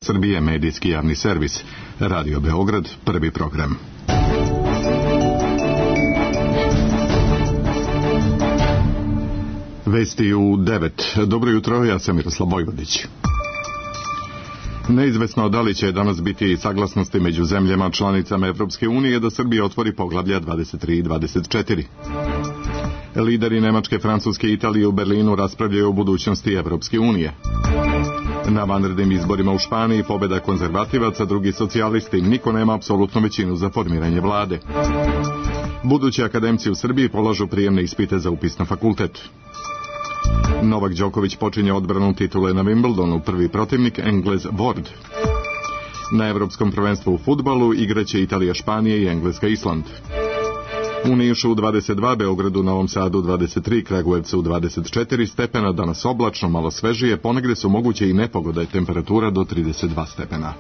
Srbije, medijski javni servis. Radio Beograd, prvi program. Vesti u 9. Dobro jutro, ja sam Miroslav Vojvodić. Neizvesno da li će danas biti saglasnosti među zemljama članicama Evropske unije da Srbija otvori poglavlja 23 i 24. Lideri Nemačke, Francuske i Italije u Berlinu raspravljaju o budućnosti Evropske unije. Na vanrednim izborima u Španiji pobjeda konzervativaca, drugi socijalisti, niko nema apsolutnu većinu za formiranje vlade. Budući akademci u Srbiji polažu prijemne ispite za upis na fakultet. Novak Đoković počinje odbranu titule na Wimbledonu, prvi protivnik Englez Ward. Na Evropskom prvenstvu u fudbalu igraće Italija, Španija i Engleska, Island. U Nišu 22, Beogradu, Novom Sadu 23, Kragujevcu 24 stepena, danas oblačno, malo svežije, ponegde su moguće i nepogode, temperatura do 32 stepena.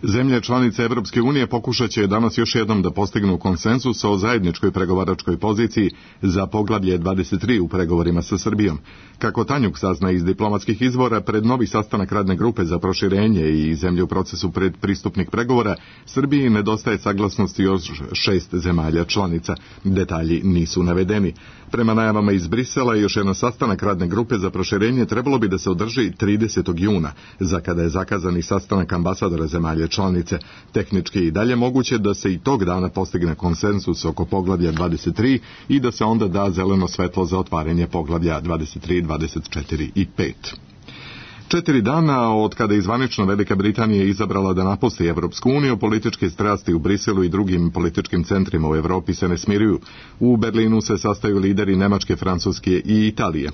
Zemlje članice Evropske unije pokušat će danas još jednom da postignu konsenzus o zajedničkoj pregovaračkoj poziciji za poglavlje 23 u pregovorima sa Srbijom. Kako Tanjuk sazna iz diplomatskih izvora, pred novi sastanak radne grupe za proširenje i zemlje u procesu predpristupnih pregovora, Srbiji nedostaje saglasnosti još 6 zemalja članica. Detalji nisu navedeni. Prema najavama iz Brisela, još jedan sastanak radne grupe za proširenje trebalo bi da se održi 30. juna, za kada je zakazani sastanak ambasadora zemalja članice. Tehnički i dalje moguće da se i tog dana postigne konsensus oko poglavlja 23 i da se onda da zeleno svetlo za otvaranje poglavlja 23, 24 i 5. 4 dana od kada je zvanično Velika Britanija izabrala da napusti Evropsku uniju, političke strasti u Briselu i drugim političkim centrima u Evropi se ne smiruju. U Berlinu se sastaju lideri Nemačke, Francuske i Italije.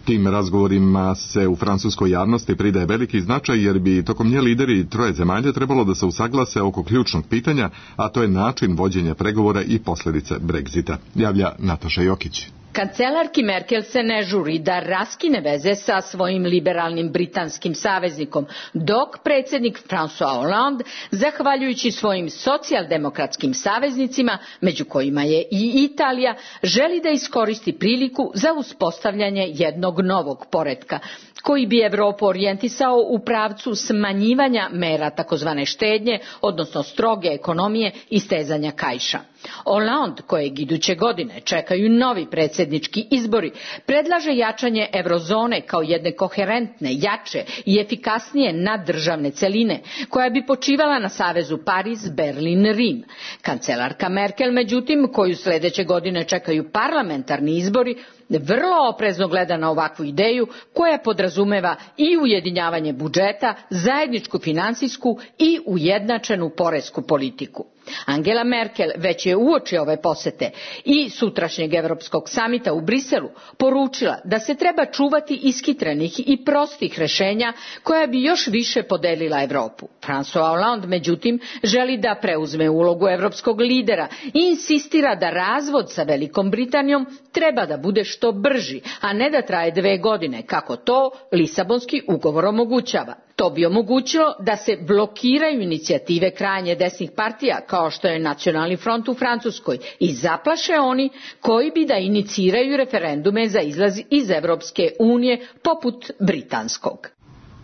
Tim razgovorima se u francuskoj javnosti pridaje veliki značaj jer bi tokom nje lideri troje zemalja trebalo da se usaglase oko ključnog pitanja, a to je način vođenja pregovora i posljedice Brexita. Javlja Nataša Jokić. Kancelarki Merkel se ne žuri da raskine veze sa svojim liberalnim britanskim saveznikom, dok predsjednik François Hollande, zahvaljujući svojim socijaldemokratskim saveznicima, među kojima je i Italija, želi da iskoristi priliku za uspostavljanje jednog novog poretka, koji bi Evropu orijentisao u pravcu smanjivanja mera takozvane štednje, odnosno stroge ekonomije i stezanja kaiša. Hollande, kojeg iduće godine čekaju novi predsjednički izbori, predlaže jačanje eurozone kao jedne koherentne, jače i efikasnije naddržavne celine, koja bi počivala na savezu Pariz, Berlin, Rim. Kancelarka Merkel, međutim, koju sljedeće godine čekaju parlamentarni izbori, vrlo oprezno gleda na ovakvu ideju koja podrazumeva i ujedinjavanje budžeta, zajedničku financijsku i ujednačenu poresku politiku. Angela Merkel već je uoči ove posete i sutrašnjeg Europskog samita u Briselu poručila da se treba čuvati iskitrenih i prostih rješenja koja bi još više podelila Europu. François Hollande, međutim, želi da preuzme ulogu europskog lidera i insistira da razvod sa Velikom Britanijom treba da bude što brži, a ne da traje 2 godine, kako to Lisabonski ugovor omogućava. To bi omogućilo da se blokiraju inicijative krajnje desnih partija kao što je Nacionalni front u Francuskoj i zaplaše oni koji bi da iniciraju referendume za izlaz iz Evropske unije poput britanskog.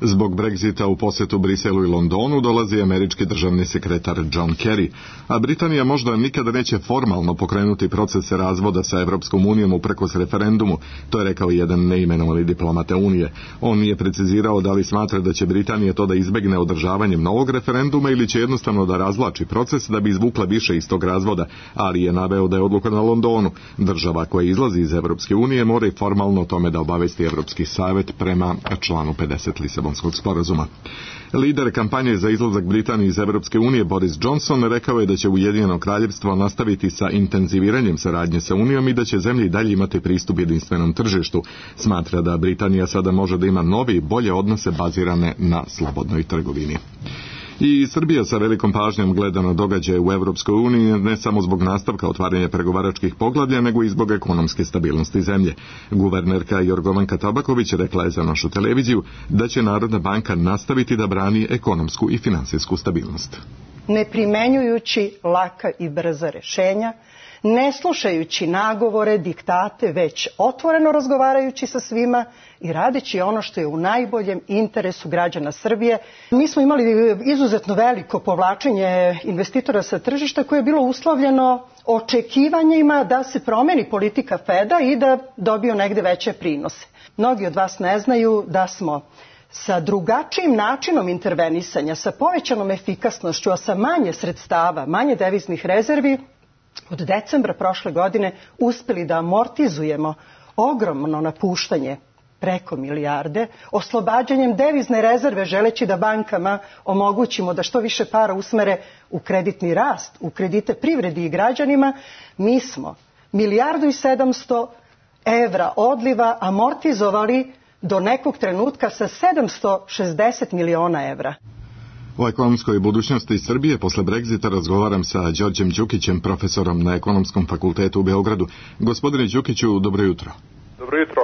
Zbog Brexita u posjetu Briselu i Londonu dolazi američki državni sekretar John Kerry, a Britanija možda nikada neće formalno pokrenuti proces razvoda sa Evropskom unijom uprkos referendumu, to je rekao jedan neimenovani diplomata Unije. On nije precizirao da li smatra da će Britanija to da izbegne održavanjem novog referenduma ili će jednostavno da razvlači proces da bi izvukla više iz tog razvoda, ali je naveo da je odluka na Londonu. Država koja izlazi iz Evropske unije mora i formalno o tome da obavesti Evropski savjet prema članu 50 Lisabonskog sporazuma. Lider kampanje za izlazak Britanije iz Evropske unije Boris Johnson rekao je da će Ujedinjeno Kraljevstvo nastaviti sa intenziviranjem saradnje sa Unijom i da će zemlje i dalje imati pristup jedinstvenom tržištu. Smatra da Britanija sada može da ima novi i bolje odnose bazirane na slobodnoj trgovini. I Srbija sa velikom pažnjom gleda na događaje u Evropskoj uniji ne samo zbog nastavka otvaranja pregovaračkih poglavlja, nego i zbog ekonomske stabilnosti zemlje. Guvernerka Jorgovanka Tabaković rekla je za našu televiziju da će Narodna banka nastaviti da brani ekonomsku i finansijsku stabilnost. Ne primenjujući laka i brza rješenja, ne slušajući nagovore, diktate, već otvoreno razgovarajući sa svima i radeći ono što je u najboljem interesu građana Srbije. Mi smo imali izuzetno veliko povlačenje investitora sa tržišta koje je bilo uslovljeno očekivanjima da se promeni politika Feda i da dobiju negde veće prinose. Mnogi od vas ne znaju da smo sa drugačijim načinom intervenisanja, sa povećanom efikasnošću, a sa manje sredstava, manje deviznih rezervi, od decembra prošle godine uspeli da amortizujemo ogromno napuštanje preko milijarde, oslobađanjem devizne rezerve želeći da bankama omogućimo da što više para usmere u kreditni rast, u kredite privredi i građanima. Mi smo 1.700.000.000 evra odliva amortizovali do nekog trenutka sa 760 miliona evra. O ekonomskoj budućnosti Srbije posle Brexita razgovaram sa Đorđem Đukićem, profesorom na Ekonomskom fakultetu u Beogradu. Gospodine Đukiću, dobro jutro. Dobro jutro.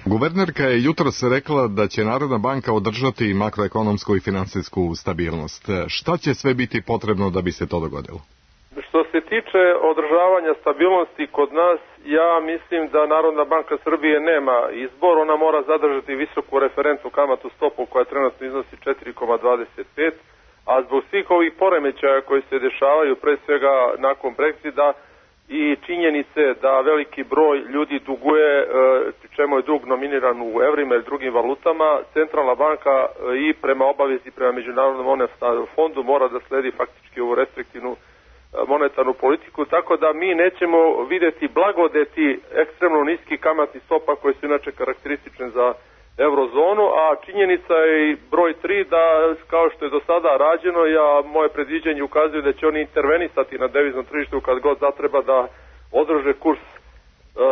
Guvernerka je jutros rekla da će Narodna banka održati makroekonomsku i finansijsku stabilnost. Šta će sve biti potrebno da bi se to dogodilo? Što se tiče održavanja stabilnosti kod nas, ja mislim da Narodna banka Srbije nema izbor. Ona mora zadržati visoku referentnu kamatnu stopu koja trenutno iznosi 4,25, a zbog svih ovih poremećaja koji se dešavaju, pre svega nakon Brexita, i činjenice da veliki broj ljudi duguje, čemu je dug nominiran u evrima ili drugim valutama, Centralna banka i prema obavezi prema Međunarodnom monetarnom fondu mora da sledi faktički ovu restriktivnu monetarnu politiku, tako da mi nećemo videti blagodeti ekstremno niskih kamatnih stopa koje su inače karakteristične za eurozonu, a činjenica je i broj 3 da kao što je do sada rađeno, moje predviđenje ukazuje da će oni intervenisati na deviznom tržištu kad god zatreba da održe kurs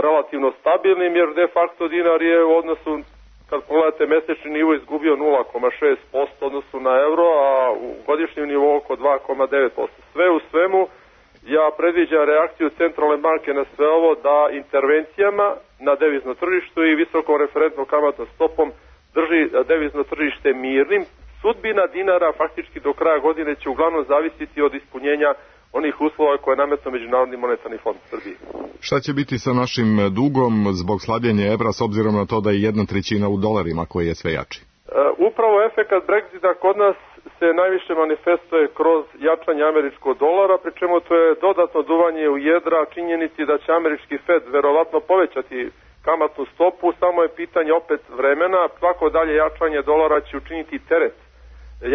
relativno stabilnim, jer de facto dinar je u odnosu, kad pogledate mesečni nivo, izgubio 0,6% odnosu na euro, a u godišnjem nivou oko 2,9%. Sve u svemu, ja predviđam reakciju Centralne banke na sve ovo da intervencijama na devizno tržištu i visokom referentnom kamatnom stopom drži devizno tržište mirnim. Sudbina dinara faktički do kraja godine će uglavnom zavisiti od ispunjenja onih uslova koje je nametno Međunarodni monetarni fond Srbije. Šta će biti sa našim dugom zbog slabljenja evra s obzirom na to da je 1/3 u dolarima koji je sve jači? Upravo efekat Brexita kod nas se najviše manifestuje kroz jačanje američkog dolara, pri čemu to je dodatno duvanje u jedra činjenici da će američki Fed verovatno povećati kamatnu stopu, samo je pitanje opet vremena. Svako dalje jačanje dolara će učiniti teret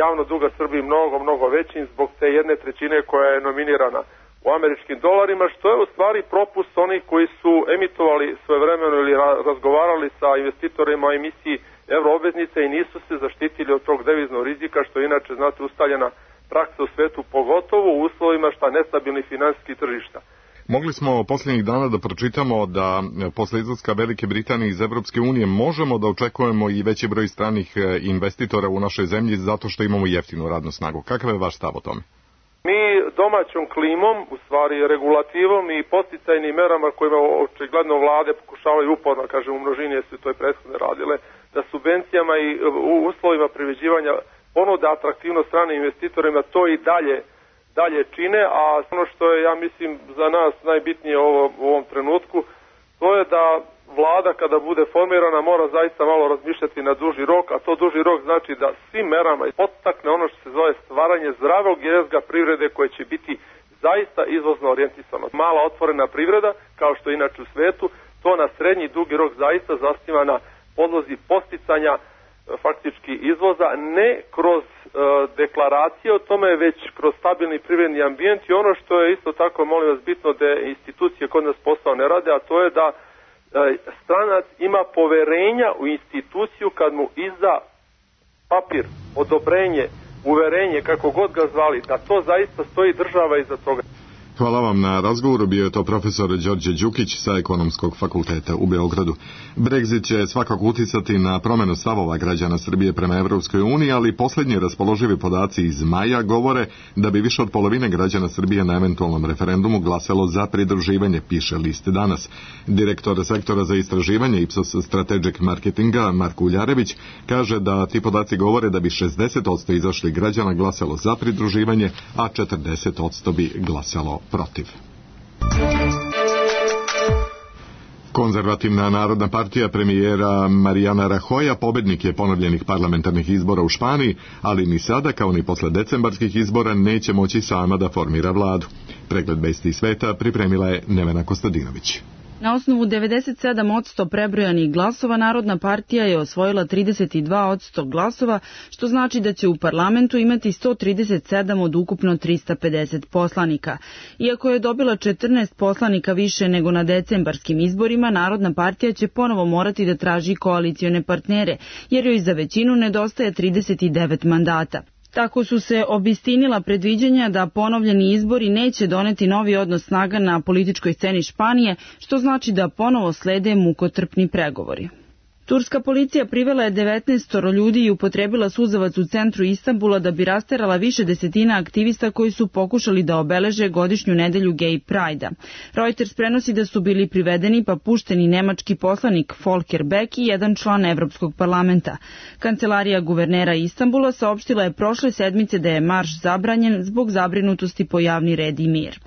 javno duga Srbiji mnogo većim zbog te 1/3 koja je nominirana u američkim dolarima, što je u stvari propust onih koji su emitovali svojevremeno ili razgovarali sa investitorima o emisiji euroobveznice i nisu se zaštitili od tog deviznog rizika, što je inače, znate, ustaljena praksa u svetu, pogotovo u uslovima nestabilnih finansijskih tržišta. Mogli smo posljednjih dana da pročitamo da posle izlaska Velike Britanije iz Evropske unije možemo da očekujemo i veći broj stranih investitora u našoj zemlji zato što imamo jeftinu radnu snagu. Kakav je vaš stav o tome? Mi domaćom klimom, u stvari regulativom i podsticajnim merama kojima očigledno vlade pokušavaju uporno, kažem u množini su to i prethodne radile, da subvencijama i uslovima privređivanja ponuda atraktivno stranim investitorima to i dalje čine, a ono što je, ja mislim, za nas najbitnije u ovom trenutku, to je da vlada kada bude formirana mora zaista malo razmišljati na duži rok, a to duži rok znači da svim merama podstakne ono što se zove stvaranje zdravog jezga privrede koje će biti zaista izvozno orijentisano. Mala otvorena privreda, kao što je inače u svetu, to na srednji i dugi rok zaista zasniva na podlozi podsticanja faktički izvoza, ne kroz deklaracije o tome, već kroz stabilni privredni ambijent. I ono što je isto tako, molim vas, bitno da institucije kod nas posao ne rade, a to je da stranac ima poverenja u instituciju kad mu izda papir, odobrenje, uverenje, kako god ga zvali, da to zaista stoji država iza toga. Hvala vam na razgovoru, bio je to profesor Đorđe Đukić sa Ekonomskog fakulteta u Beogradu. Brexit će svakako uticati na promenu stavova građana Srbije prema Evropskoj uniji, ali posljednji raspoloživi podaci iz maja govore da bi više od polovine građana Srbije na eventualnom referendumu glasalo za pridruživanje, piše List danas. Direktor sektora za istraživanje Ipsos Strategic Marketinga Marko Uljarević kaže da ti podaci govore da bi 60% izašlih građana glasalo za pridruživanje, a 40% bi glasalo protiv. Konzervativna narodna partija premijera Mariana Rajoya pobednik je ponovljenih parlamentarnih izbora u Španiji, ali ni sada, kao ni posle decembarskih izbora, neće moći sama da formira vladu. Pregled vesti sveta pripremila je Nevena Kostadinović. Na osnovu 97% prebrojanih glasova Narodna partija je osvojila 32% glasova, što znači da će u parlamentu imati 137 od ukupno 350 poslanika. Iako je dobila 14 poslanika više nego na decembarskim izborima, Narodna partija će ponovo morati da traži koalicione partnere, jer joj za većinu nedostaje 39 mandata. Tako su se obistinila predviđanja da ponovljeni izbori neće doneti novi odnos snaga na političkoj sceni Španije, što znači da ponovo slede mukotrpni pregovori. Turska policija privela je 19 ljudi i upotrebila suzavac u centru Istanbula da bi rasterala više desetina aktivista koji su pokušali da obeleže godišnju nedelju Gay Pride-a. Reuters prenosi da su bili privedeni pa pušteni nemački poslanik Volker Beck i jedan član Evropskog parlamenta. Kancelarija guvernera Istanbula saopštila je prošle sedmice da je marš zabranjen zbog zabrinutosti po javni red i mir.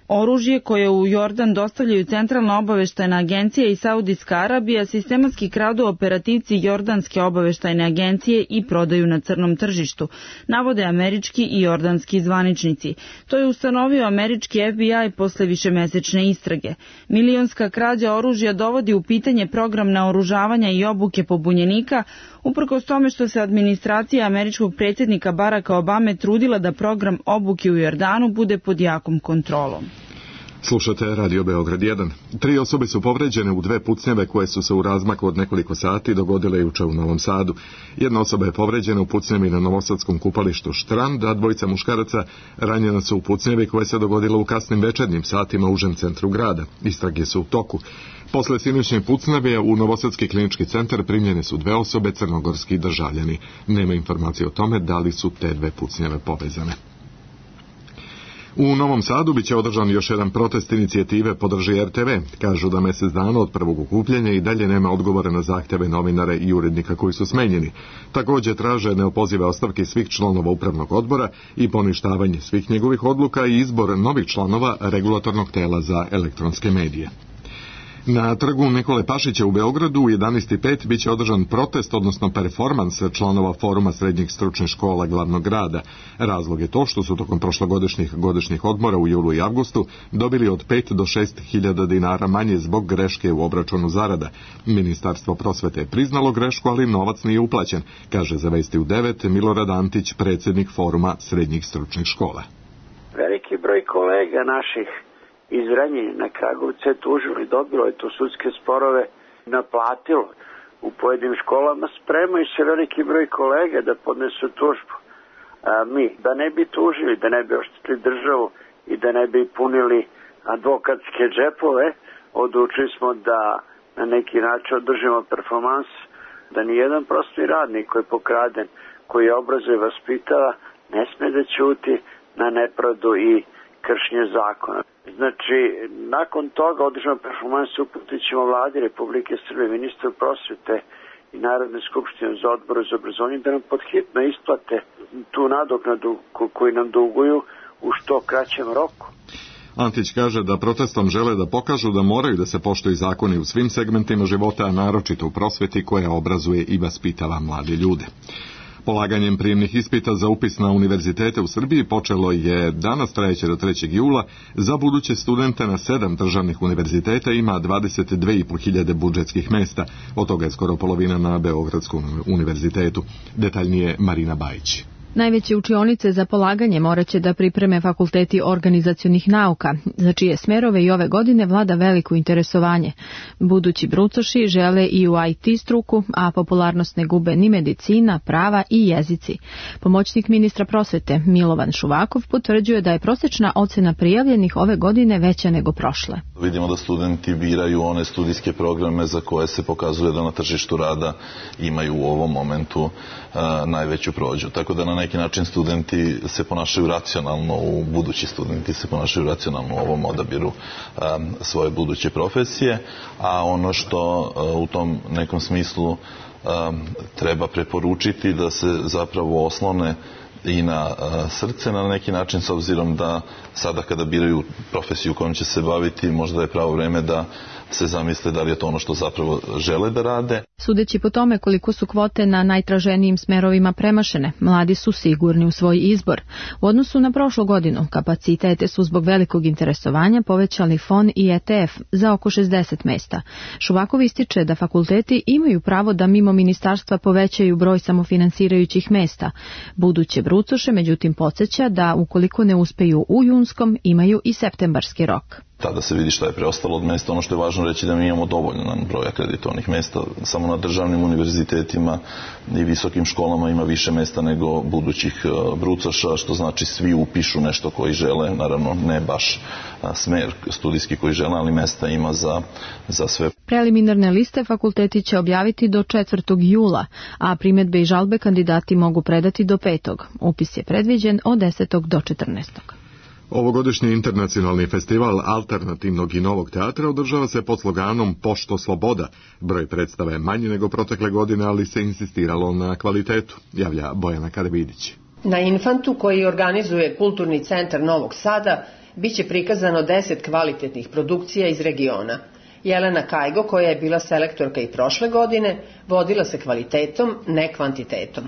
Oružje koje u Jordan dostavljaju Centralna obaveštajna agencija i Saudijska Arabija sistematski kradu operativci Jordanske obaveštajne agencije i prodaju na crnom tržištu, navode američki i jordanski zvaničnici. To je ustanovio američki FBI posle višemesečne istrage. Milionska krađa oružja dovodi u pitanje program naoružavanja i obuke pobunjenika, uprkos tome što se administracija američkog predsjednika Baracka Obame trudila da program obuke u Jordanu bude pod jakom kontrolom. Slušate Radio Beograd 1. 3 osobe su povređene u 2 pucnjave koje su se u razmaku od nekoliko sati dogodile juče u Novom Sadu. Jedna osoba je povređena u pucnjavi na novosadskom kupalištu Štrand, a 2 muškaraca ranjena su u pucnjavi koje se dogodila u kasnim večernjim satima u užem centru grada. Istrage su u toku. Posle sinoćnje pucnjave u Novosadski klinički centar primljene su 2 osobe, crnogorski državljani. Nema informacije o tome da li su te 2 pucnjave povezane. U Novom Sadu biće održan još jedan protest inicijative Podrži RTV. Kažu da mjesec dana od prvog okupljanja i dalje nema odgovora na zahtjeve novinara i urednika koji su smenjeni. Također traže neopozive ostavke svih članova upravnog odbora i poništavanje svih njegovih odluka i izbor novih članova regulatornog tela za elektronske medije. Na trgu Nikole Pašića u Beogradu u 11:05 biće održan protest, odnosno performans članova Foruma srednjih stručnih škola glavnog grada. Razlog je to što su tokom prošlogodišnjih godišnjih odmora u julu i avgustu dobili od 5 do 6 hiljada dinara manje zbog greške u obračunu zarada. Ministarstvo prosvete je priznalo grešku, ali novac nije uplaćen, kaže za Vesti u 9 Milorad Antić, predsjednik Foruma srednjih stručnih škola. Veliki broj kolega naših iz Renjanina, Kragujevca je tužilo i dobilo je tu sudske sporove, naplatilo. U pojedinim školama spremaju se veliki broj kolega da podnesu tužbu. Mi, da ne bi tužili, da ne bi oštetili državu i da ne bi punili advokatske džepove, odlučili smo da na neki način održimo performans, da nijedan prosvetni radnik koji je pokraden, koji je obrazuje i vaspitava, ne sme da ćuti na nepravdu i kršenje zakona. Znači, nakon toga održano performanse uputit ćemo vladi Republike Srbije, ministru prosvete i Narodne skupštine za odbor za obrazovanje da nam podhitno isplate tu nadoknadu koju nam duguju u što kraćem roku. Antić kaže da protestom žele da pokažu da moraju da se poštuju zakoni u svim segmentima života, a naročito u prosveti koja obrazuje i vaspitava mlade ljude. Polaganjem prijemnih ispita za upis na univerzitete u Srbiji počelo je danas, trajeće do 3. jula. Za buduće studente na 7 državnih univerziteta ima 22.500 budžetskih mesta, od toga je skoro polovina na Beogradskom univerzitetu. Detaljnije Marina Bajić. Najveće učionice za polaganje morat će da pripreme fakulteti organizacionih nauka, za čije smerove i ove godine vlada veliko interesovanje. Budući brucoši žele i u IT struku, a popularnost ne gube ni medicina, prava i jezici. Pomoćnik ministra prosvete Milovan Šuvakov potvrđuje da je prosječna ocena prijavljenih ove godine veća nego prošle. Vidimo da studenti biraju one studijske programe za koje se pokazuje da na tržištu rada imaju u ovom momentu najveću prođu. Tako da na neki način studenti se ponašaju racionalno, budući studenti se ponašaju racionalno u ovom odabiru svoje buduće profesije, a ono što u tom nekom smislu treba preporučiti da se zapravo oslone i na srce na neki način, s obzirom da sada kada biraju profesiju kojom će se baviti, možda je pravo vreme da se zamisle da li je to ono što zapravo žele da rade. Sudeći po tome koliko su kvote na najtraženijim smerovima premašene, mladi su sigurni u svoj izbor. U odnosu na prošlu godinu, kapacitete su zbog velikog interesovanja povećali FON i ETF za oko 60 mesta. Šuvakov ističe da fakulteti imaju pravo da mimo ministarstva povećaju broj samofinansirajućih mesta. Buduće brucoše, međutim, podsjeća da ukoliko ne uspeju u junskom, imaju i septembarski rok. Tada se vidi šta je preostalo od mesta. Ono što je važno reći da mi imamo dovoljno broj akreditovanih mesta. Samo na državnim univerzitetima i visokim školama ima više mesta nego budućih brucoša, što znači svi upišu nešto koji žele. Naravno, ne baš smer studijski koji žele, ali mesta ima za sve. Preliminarne liste fakulteti će objaviti do 4. jula, a primjedbe i žalbe kandidati mogu predati do 5. Upis je predviđen od 10. do 14. Ovogodišnji internacionalni festival alternativnog i novog teatra održava se pod sloganom Pošto sloboda. Broj predstava je manji nego protekle godine, ali se insistiralo na kvalitetu, javlja Bojana Karavidić. Na Infantu, koji organizuje Kulturni centar Novog Sada, biće prikazano 10 kvalitetnih produkcija iz regiona. Jelena Kajgo, koja je bila selektorka i prošle godine, vodila se kvalitetom, ne kvantitetom.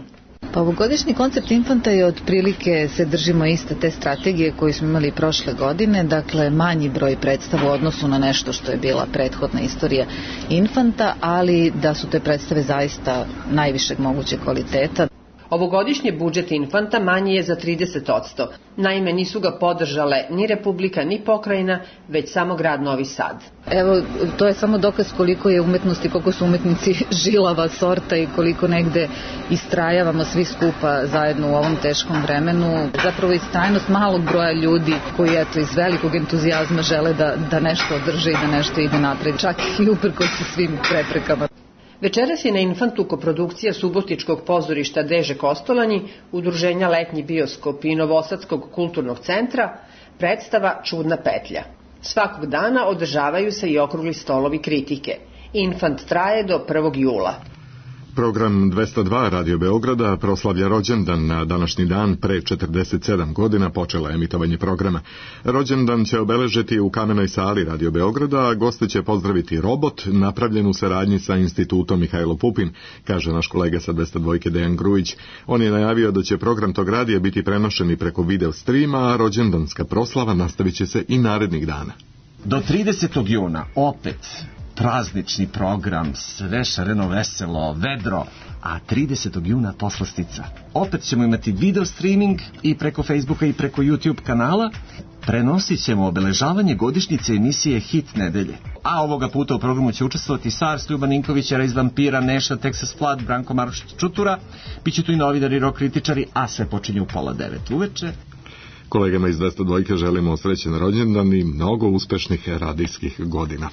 Pa ovogodišnji koncept Infanta je otprilike, se držimo iste te strategije koju smo imali prošle godine, dakle manji broj predstava u odnosu na nešto što je bila prethodna istorija Infanta, ali da su te predstave zaista najvišeg mogućeg kvaliteta. Ovogodišnji budžet Infanta manji je za 30%. Naime, nisu ga podržale ni Republika, ni pokrajina, već samo grad Novi Sad. Evo, to je samo dokaz koliko je umetnost i koliko su umetnici žilava sorta i koliko negde istrajavamo svi skupa zajedno u ovom teškom vremenu. Zapravo istrajnost malog broja ljudi koji iz velikog entuzijazma žele da nešto održe i da nešto ide napred, čak i uprkos svim preprekama. Večeras je na Infantu koprodukcija Subotičkog pozorišta Deže Kostolanji, Udruženja Letnji bioskop i Novosadskog kulturnog centra, predstava Čudna petlja. Svakog dana održavaju se i okrugli stolovi kritike. Infant traje do 1. jula. Program 202 Radio Beograda proslavlja rođendan. Na današnji dan pre 47 godina počela emitovanje programa. Rođendan će obeležiti u kamenoj sali Radio Beograda, a goste će pozdraviti robot napravljen u saradnji sa Institutom Mihajlo Pupin, kaže naš kolega sa 202 Dejan Grujić. On je najavio da će program tog radija biti prenošen i preko video streama, a rođendanska proslava nastavit će se i narednih dana. Do 30. juna opet praznični program, sve šareno, veselo, vedro, a 30. juna poslastica. Opet ćemo imati video streaming i preko Facebooka i preko YouTube kanala. Prenosit ćemo obeležavanje godišnjice emisije Hit nedelje. A ovoga puta u programu će učestvovati Sars, Ljuban Ninković, Rejs Vampira, Neša, Texas Flood, Branko Maroš Čutura. Biće tu i novinari, rock kritičari, a sve počinje u 8:30 uveče. Kolegama iz 202 želimo srećan rođendan i mnogo uspešnih radijskih godina.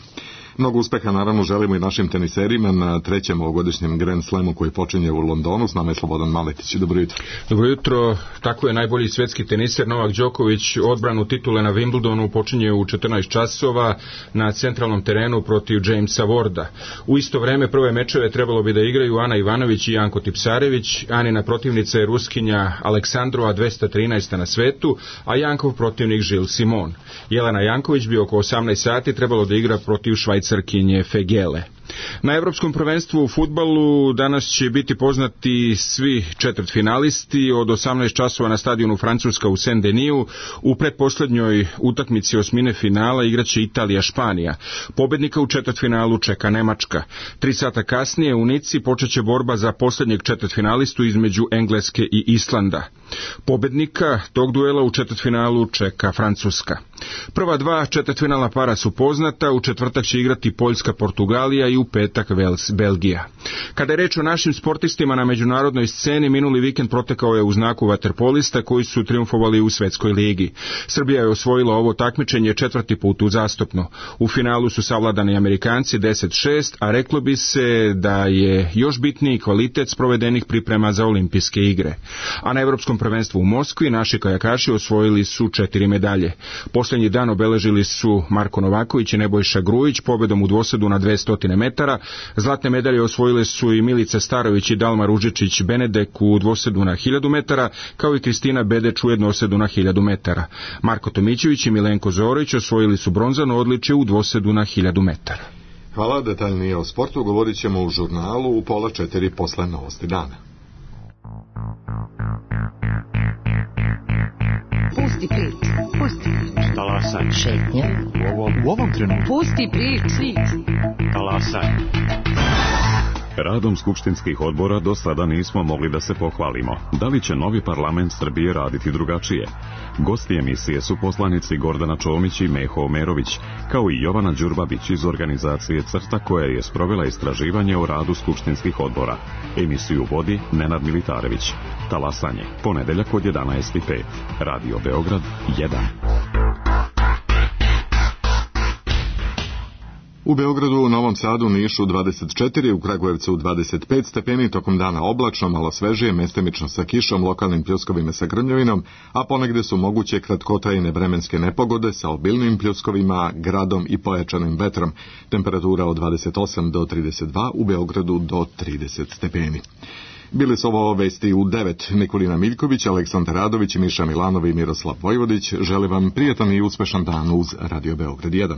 Mnogo uspeha naravno želimo i našim teniserima na 3. ovogodišnjem Grand Slamu koji počinje u Londonu. S nama je Slobodan Maletić. Dobro jutro. Dobro jutro. Tako je, najbolji svetski teniser Novak Đoković odbranu titule na Wimbledonu počinje u 14 časova na centralnom terenu protiv Jamesa Warda. U isto vreme prve mečeve trebalo bi da igraju Ana Ivanović i Janko Tipsarević. Anina protivnica je Ruskinja Aleksandrova, 213. na svetu, a Jankov protivnik Žil Simon. Jelena Janković bi oko 18 sati trebalo da igra protiv Švajcarkinje Fegele. Na Evropskom prvenstvu u fudbalu danas će biti poznati svi četvrtfinalisti. Od 18 časova na stadionu Francuska u Saint-Deniju u pretposlednjoj utakmici osmine finala igraće Italija-Španija. Pobednika u četvrtfinalu čeka Nemačka. 3 sata kasnije u Nici počeće borba za poslednjeg četvrtfinalistu između Engleske i Islanda. Pobednika tog duela u četvrtfinalu čeka Francuska. Prva dva četvrtfinalna para su poznata, u četvrtak će igrati Poljska-Portugalija i u petak Belgija. Kada je reč o našim sportistima na međunarodnoj sceni, minuli vikend protekao je u znaku vaterpolista koji su triumfovali u Svetskoj ligi. Srbija je osvojila ovo takmičenje 4. put uzastopno. U finalu su savladani Amerikanci 10-6, a reklo bi se da je još bitniji kvalitet sprovedenih priprema za olimpijske igre. A na Evropskom prvenstvu u Moskvi naši kajakaši osvojili su 4 medalje. Posljednji dan obeležili su Marko Novaković i Nebojša Grujić pobedom u dvosadu na 200 metara. Zlatne medalje osvojile su i Milica Starović i Dalma Ružičić Benedek u dvosedu na 1000 metara, kao i Kristina Bedeč u jednosedu na 1000 metara. Marko Tomićević i Milenko Zorović osvojili su bronzano odličje u dvosedu na 1000 metara. Hvala, detaljnije o sportu govorit ćemo u žurnalu u 3:30 posle novosti dana. Pusti priču, pusti priču. Talasaj. Šetnja. U ovom trenutku. Pusti priču. Talasaj. Radom skupštinskih odbora do sada nismo mogli da se pohvalimo. Da li će novi parlament Srbije raditi drugačije? Gosti emisije su poslanici Gordana Čomić i Meho Omerović, kao i Jovana Đurbabić iz organizacije CRTA koja je sprovela istraživanje o radu skupštinskih odbora. Emisiju vodi Nenad Militarević. Talasanje, ponedeljak od 11:05. Radio Beograd 1. U Beogradu, u Novom Sadu, Nišu 24, u Kragujevcu 25 stepeni, tokom dana oblačno, malo svežije, mestimično sa kišom, lokalnim pljuskovima sa grmljavinom, a ponegde su moguće kratkotrajne vremenske nepogode sa obilnim pljuskovima, gradom i pojačanim vetrom. Temperatura od 28 do 32, u Beogradu do 30 stepeni. Bili su ovo vesti u 9. Nikolina Miljković, Aleksandar Radović, Miša Milanov i Miroslav Vojvodić. Želim vam prijatan i uspešan dan uz Radio Beograd 1.